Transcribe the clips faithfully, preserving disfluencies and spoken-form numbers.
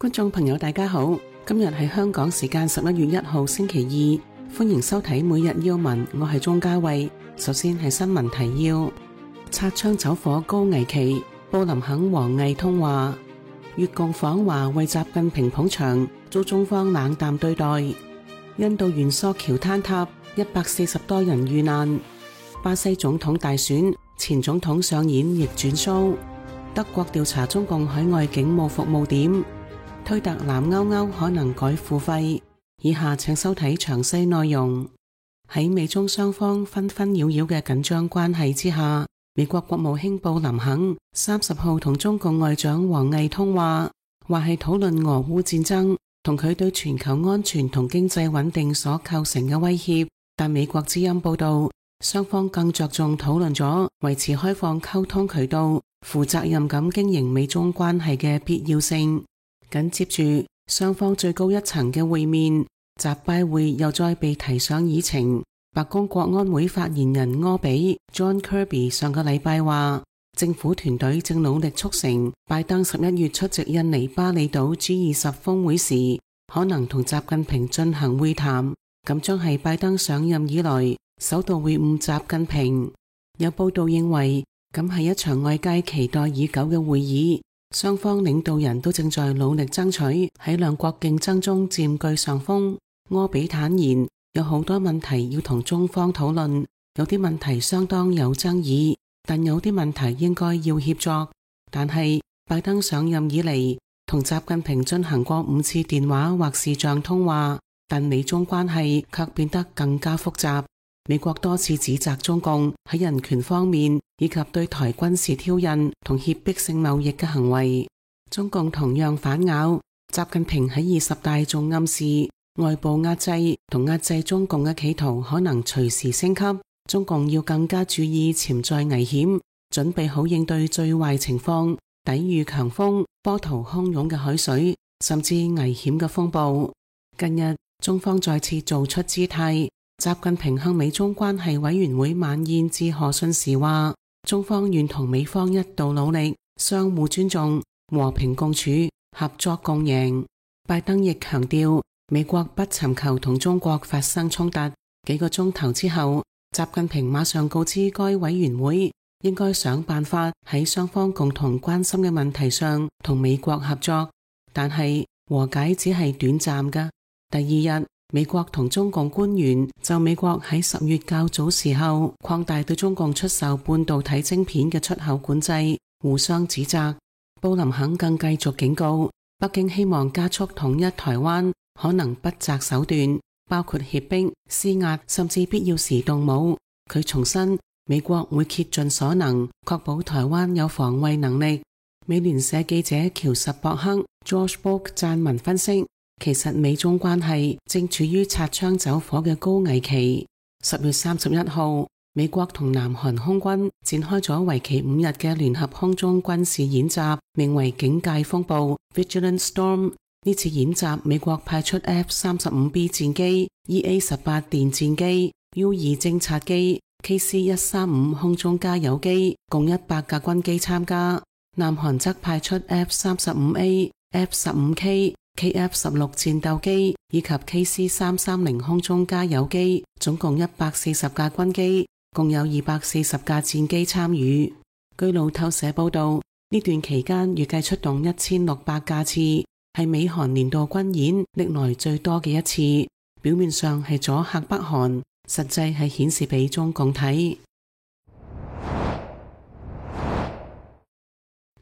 觀眾朋友大家好，今日係香港時間十一月一號星期二，歡迎收睇每日要聞，我係鍾嘉慧。首先係新聞提要：擦槍走火高危期，布林肯王毅通話；越共訪華為習近平捧場，遭中方冷淡對待；印度元索橋坍塌，一百四十多人遇難；巴西總統大選，前總統上演逆轉 show；德國調查中共海外警務服務點。推特藍勾勾可能改付費，以下請收睇詳細內容。喺美中雙方紛紛擾擾嘅緊張關係之下，美國國務卿布林肯三十號同中共外長王毅通話，話係討論俄烏戰爭同佢對全球安全同經濟穩定所構成嘅威脅。但美國之音報道，雙方更着重討論咗維持開放溝通渠道、負責任咁經營美中關係嘅必要性。緊接住，雙方最高一層嘅會面，習拜會又再被提上議程。白宮國安會發言人柯比 John Kirby 上個禮拜話，政府團隊正努力促成拜登十一月出席印尼巴厘島 G 二十峰會時，可能同習近平進行會談，咁將係拜登上任以來首度會晤習近平。有報道認為，咁係一場外界期待已久嘅會議。雙方領導人都正在努力爭取喺兩國競爭中佔據上風。柯比坦言，有好多問題要同中方討論，有啲問題相當有爭議，但有啲問題應該要協作。但係拜登上任以嚟，同習近平進行過五次電話或視像通話，但美中關係卻變得更加複雜。美國多次指責中共喺人權方面以及對台軍事挑釁同脅迫性貿易嘅行為，中共同樣反咬。習近平喺二十大仲暗示外部壓制同壓制中共嘅企圖可能隨時升級，中共要更加注意潛在危險，準備好應對最壞情況，抵禦強風、波濤洶湧嘅海水，甚至危險嘅風暴。近日中方再次做出姿態。習近平向美中關係委員會晚宴致賀信時話，中方願同美方一道努力，相互尊重，和平共處，合作共贏。拜登亦強調，美國不尋求同中國發生衝突。幾個鐘頭之後，習近平馬上告知該委員會，應該想辦法喺雙方共同關心嘅問題上同美國合作，但係和解只係短暫㗎。第二日，美國同中共官員就美國喺十月較早時候擴大對中共出售半導體晶片嘅出口管制，互相指責。布林肯更繼續警告，北京希望加速統一台灣，可能不擇手段，包括脅迫、施壓，甚至必要時動武。佢重申，美國會竭盡所能確保台灣有防衛能力。美聯社記者喬什博克 George Book 撰文分析，其實美中關係正處於擦槍走火嘅高危期。十月三十一號，美國同南韓空軍展開咗為期五日嘅聯合空中軍事演習，名為警戒風暴 Vigilant Storm。呢次演習，美國派出 F 三十五 B 戰機、E A 十八電戰機、U 二偵察機、K C 一三五空中加油機，共一百架軍機參加。南韓則派出 F 三十五 A、F 十五 K、K F 十六戰鬥機以及 K C 三三零空中加油機，總共一百四十架軍機，共有二百四十架戰機參與。據路透社報道，呢段期間預計出動一千六百架次，係美韓年度軍演歷來最多嘅一次。表面上係阻嚇北韓，實際係顯示俾中共睇。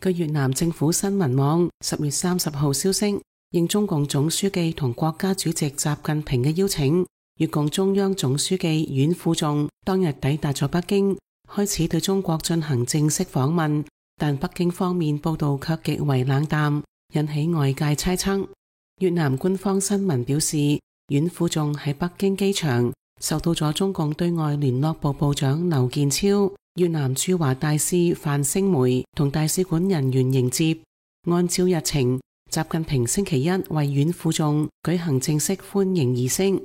據越南政府新聞網十月三十號消息，應中共總書記同國家主席習近平嘅邀請，越共中央總書記阮富仲當日抵達咗北京，開始對中國進行正式訪問，但北京方面報道卻極為冷淡，引起外界猜測。越南官方新聞表示，阮富仲喺北京機場受到咗中共對外聯絡部部長劉建超、越南駐華大使范星梅同大使館人員迎接。按照日程，習近平星期一為阮富仲舉行正式歡迎儀式，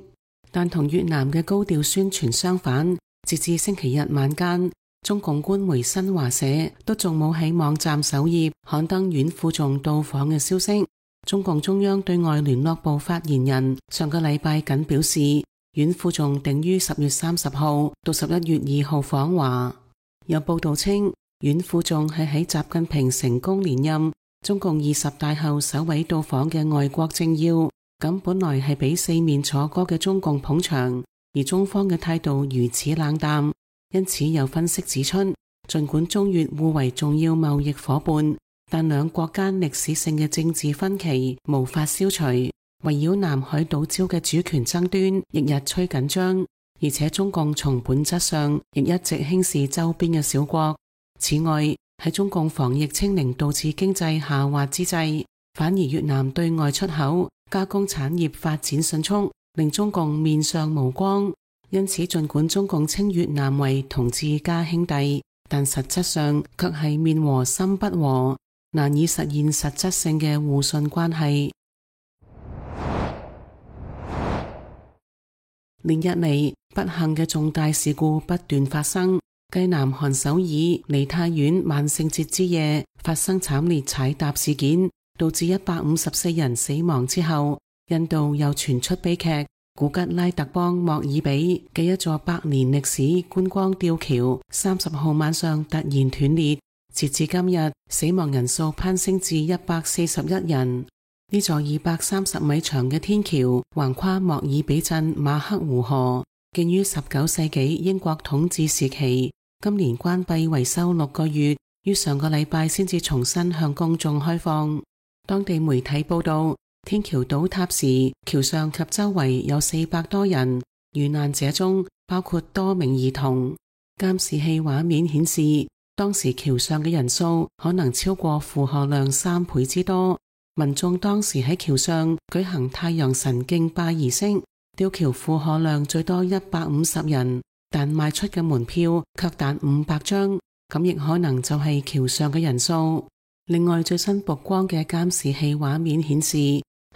但同越南嘅高調宣傳相反，截至星期日晚間，中共官媒新華社都仲冇喺網站首頁刊登阮富仲到訪嘅消息。中共中央對外聯絡部發言人上個禮拜僅表示，阮富仲定於十月三十號到十一月二號訪華。有報道稱，阮富仲係喺習近平成功連任中共二十大後首位到訪嘅外國政要，咁本來係俾四面楚歌嘅中共捧場，而中方嘅態度如此冷淡，因此有分析指出，儘管中越互為重要貿易夥伴，但兩國間歷史性嘅政治分歧無法消除，圍繞南海島礁嘅主權爭端亦日趨緊張，而且中共從本質上亦一直輕視周邊嘅小國。此外，喺中共防疫清零導致經濟下滑之際，反而越南對外出口加工產業發展迅速，令中共面上無光。因此，儘管中共稱越南為同志加兄弟，但實質上卻係面和心不和，難以實現實質性嘅互信關係。連日嚟，不幸嘅重大事故不斷發生。繼南韓首爾梨泰院萬聖節之夜發生慘烈踩踏事件，導致一百五十四人死亡之後，印度又傳出悲劇。古吉拉特邦莫爾比嘅一座百年歷史觀光吊橋三十號晚上突然斷裂，截至今日，死亡人數攀升至一百四十一人。呢座二百三十米長嘅天橋橫跨莫爾比鎮馬克湖河，建於十九世紀英國統治時期，今年關閉維修六個月，於上個禮拜先至重新向公眾開放。當地媒體報道，天橋倒塌時，橋上及周圍有四百多人，遇難者中包括多名兒童。監視器畫面顯示，當時橋上嘅人數可能超過負荷量三倍之多。民眾當時喺橋上舉行太陽神敬拜儀式，吊橋負荷量最多一百五十人，但賣出嘅門票卻達五百張，咁亦可能就係橋上嘅人數。另外，最新曝光嘅監視器畫面顯示，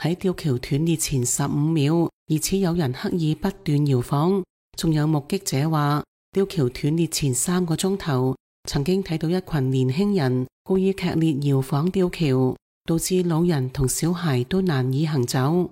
喺吊橋斷裂前十五秒，疑似有人刻意不斷搖晃。仲有目擊者話，吊橋斷裂前三個鐘頭，曾經睇到一群年輕人故意劇烈搖晃吊橋，導致老人同小孩都難以行走。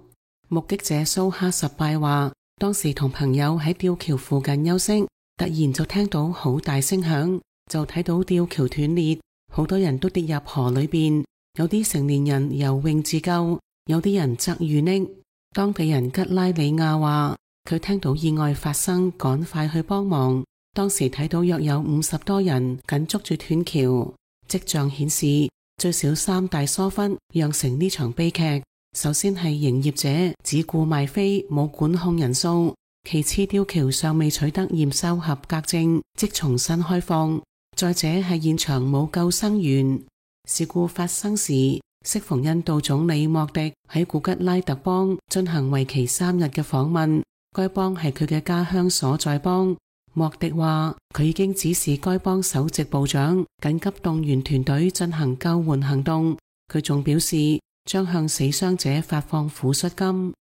目擊者蘇哈什拜話，當時同朋友喺吊橋附近休息，突然就聽到好大聲響，就睇到吊橋斷裂，好多人都跌入河裏邊，有啲成年人游泳自救，有啲人則遇溺。當地人吉拉里亞話，佢聽到意外發生，趕快去幫忙，當時睇到約有五十多人緊捉住斷橋。跡象顯示，最少三大疏忽釀成呢場悲劇。首先係營業者只顧賣飛，冇管控人數；其次，吊橋尚未取得驗收合格證，即重新開放；再者係現場冇救生員。事故發生時，適逢印度總理莫迪喺古吉拉特邦進行為期三日嘅訪問，該邦係佢嘅家鄉所在邦。莫迪話，佢已經指示該邦首席部長緊急動員團隊進行救援行動。佢仲表示，將向死傷者發放撫恤金。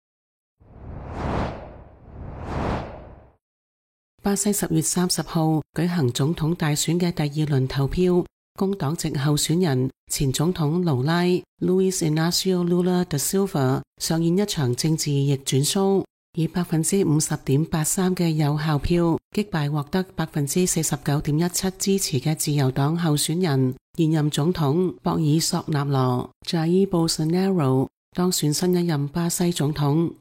巴西十月三十號舉行總統大選嘅第二輪投票，工黨籍候選人前總統盧拉 Luiz Inácio Lula da Silva 上演一場政治逆轉 show， 以百分之五十點八三嘅有效票擊敗獲得百分之四十九點一七支持嘅自由黨候選人現任總統博爾索納羅 Jair Bolsonaro 當選新一任巴西總統。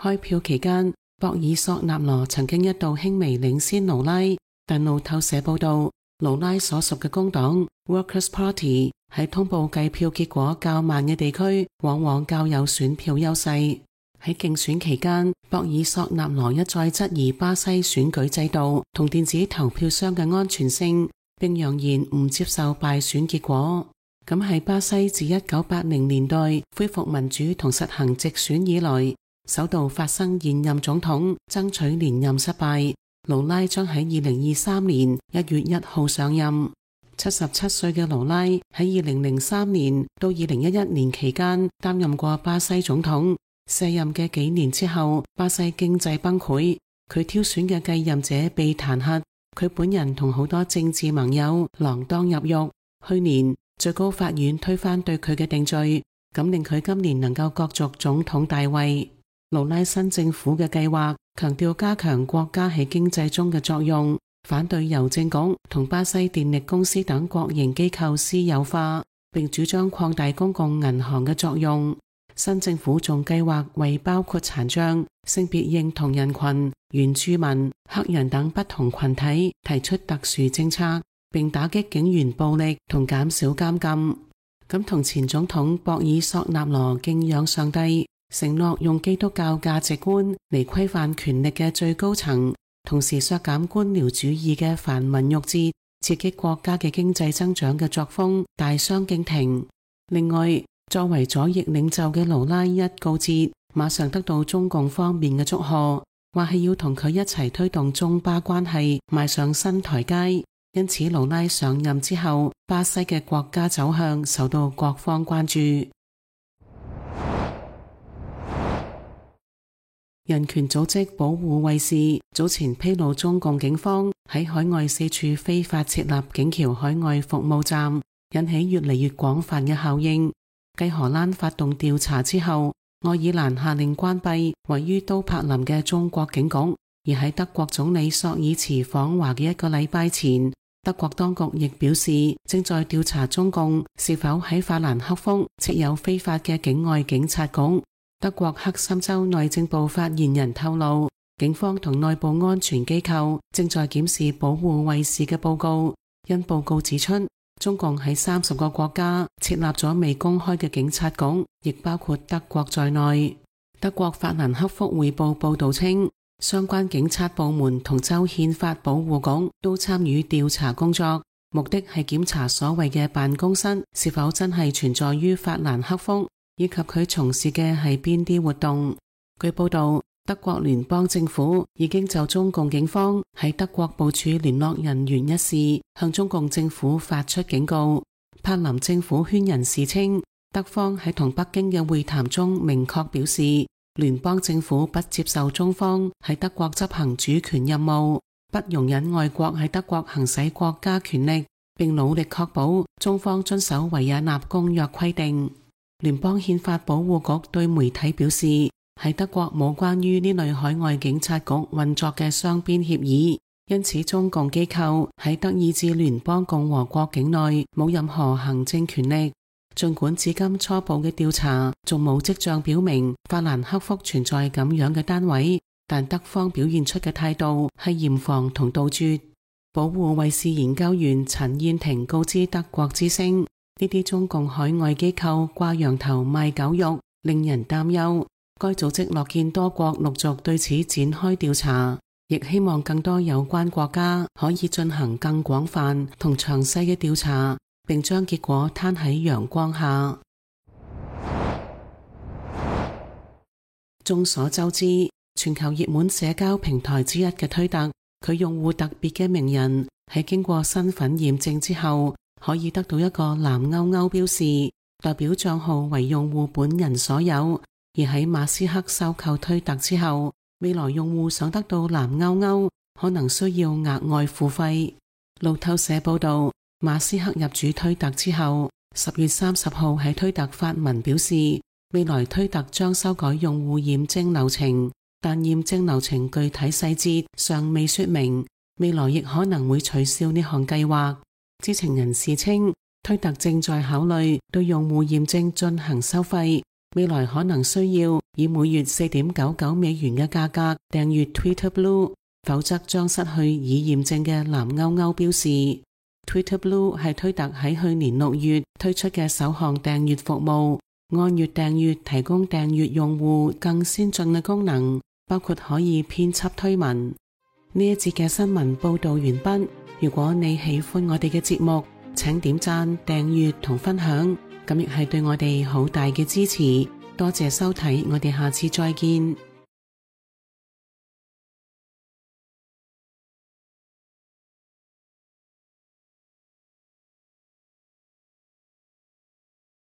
開票期間，博爾索納羅曾經一度輕微領先盧拉，但路透社報道，盧拉所屬嘅工黨 Workers' Party 喺通報計票結果較慢嘅地區，往往較有選票優勢。喺競選期間，博爾索納羅一再質疑巴西選舉制度同電子投票箱嘅安全性，並揚言唔接受敗選結果。咁係巴西自一九八零年代恢復民主同實行直選以來，首度發生現任總統爭取連任失敗。盧拉將喺二零二三年一月一號上任。七十七歲嘅盧拉喺二零零三年到二零一一年期間擔任過巴西總統。卸任嘅幾年之後，巴西經濟崩潰，佢挑選嘅繼任者被彈劾，佢本人同好多政治盟友鋃鐺入獄。去年最高法院推翻對佢嘅定罪，咁令佢今年能夠角逐總統大位。盧拉新政府嘅計劃強調加強國家喺經濟中嘅作用，反對郵政局同巴西電力公司等國營機構私有化，並主張擴大公共銀行嘅作用。新政府仲計劃為包括殘障、性別認同人群、原住民、黑人等不同群體提出特殊政策，並打擊警員暴力同減少監禁。咁同前總統博爾索納羅敬仰上帝，承諾用基督教價值觀嚟規範權力嘅最高層，同時削減官僚主義嘅繁文縟節，刺激國家嘅經濟增長嘅作風大相徑庭。另外，作為左翼領袖嘅盧拉一告捷，馬上得到中共方面嘅祝賀，話係要同佢一齊推動中巴關係邁上新台階。因此，盧拉上任之後，巴西嘅國家走向受到各方關注。人權組織保護衛士早前披露，中共警方喺海外四處非法設立警僑海外服務站，引起越嚟越廣泛嘅效應。繼荷蘭發動調查之後，愛爾蘭下令關閉位於都柏林嘅中國警局。而喺德國總理朔爾茨訪華嘅一個禮拜前，德國當局亦表示正在調查中共是否喺法蘭克福設有非法嘅境外警察局。德國克森州內政部發言人透露，警方同內部安全機構正在檢視保護衛士嘅報告，因報告指出，中共喺三十個國家設立咗未公開嘅警察局，亦包括德國在內。德國法蘭克福匯報報道稱，相關警察部門同州憲法保護局都參與調查工作，目的係檢查所謂嘅辦公室是否真係存在於法蘭克福，以及佢從事嘅係邊啲活動。據報道，德國聯邦政府已經就中共警方喺德國部署聯絡人員一事向中共政府發出警告。柏林政府圈人士稱，德方喺同北京嘅會談中明確表示，聯邦政府不接受中方喺德國執行主權任務，不容忍外國喺德國行使國家權力，並努力確保中方遵守維也納公約規定。聯邦憲法保護局對媒體表示，喺德國冇關於呢類海外警察局運作嘅雙邊協議，因此中共機構喺德意志聯邦共和國境內冇任何行政權力。儘管至今初步嘅調查仲冇跡象表明法蘭克福存在咁樣嘅單位，但德方表現出嘅態度係嚴防同杜絕。保護衛士研究員陳燕婷告知德國之聲，呢啲中共海外機構掛羊頭賣狗肉，令人擔憂。該組織樂見多國陸續對此展開調查，亦希望更多有關國家可以進行更廣泛同詳細嘅調查，並將結果攤喺陽光下。眾所周知，全球熱門社交平台之一嘅推特，佢用戶特別嘅名人喺經過身份驗證之後，可以得到一個藍勾勾標示，代表賬號為用戶本人所有。而喺馬斯克收購推特之後，未來用戶想得到藍勾勾，可能需要額外付費。路透社報道，馬斯克入主推特之後，十月三十號喺推特發文表示，未來推特將修改用戶驗證流程，但驗證流程具體細節尚未說明，未來亦可能會取消呢項計劃。知情人士稱，推特正在考慮對用戶驗證進行收費，未來可能需要以每月四點九九美元嘅價格訂閱 Twitter Blue， 否則將失去已驗證嘅藍勾勾標示。Twitter Blue 係推特喺去年六月推出嘅首項訂閱服務，按月訂閱提供訂閱用戶更先進嘅功能，包括可以編輯推文。呢一節嘅新聞報道完畢。如果你喜歡我哋嘅節目，請點讚、訂閱同分享，咁亦係對我哋好大嘅支持。多謝收睇，我哋下次再見。